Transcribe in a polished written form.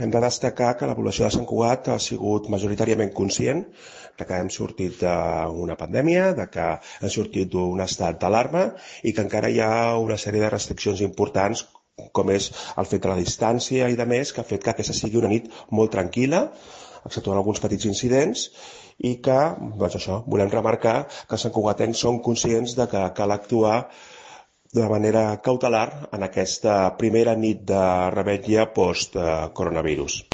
Hem de destacar que la població de Sant Cugat ha sigut majoritàriament conscient de que hem sortit d'una pandèmia, de que hem sortit d'un estat d'alarma i que encara hi ha una sèrie de restriccions importants, com és el fet de la distància i de més, que ha fet que aquesta sigui una nit molt tranquil·la, exceptuant alguns petits incidents, i que, doncs això, volem remarcar que els santcugatencs són conscients de que cal actuar de manera cautelar en aquesta primera nit de revetlla post-coronavirus.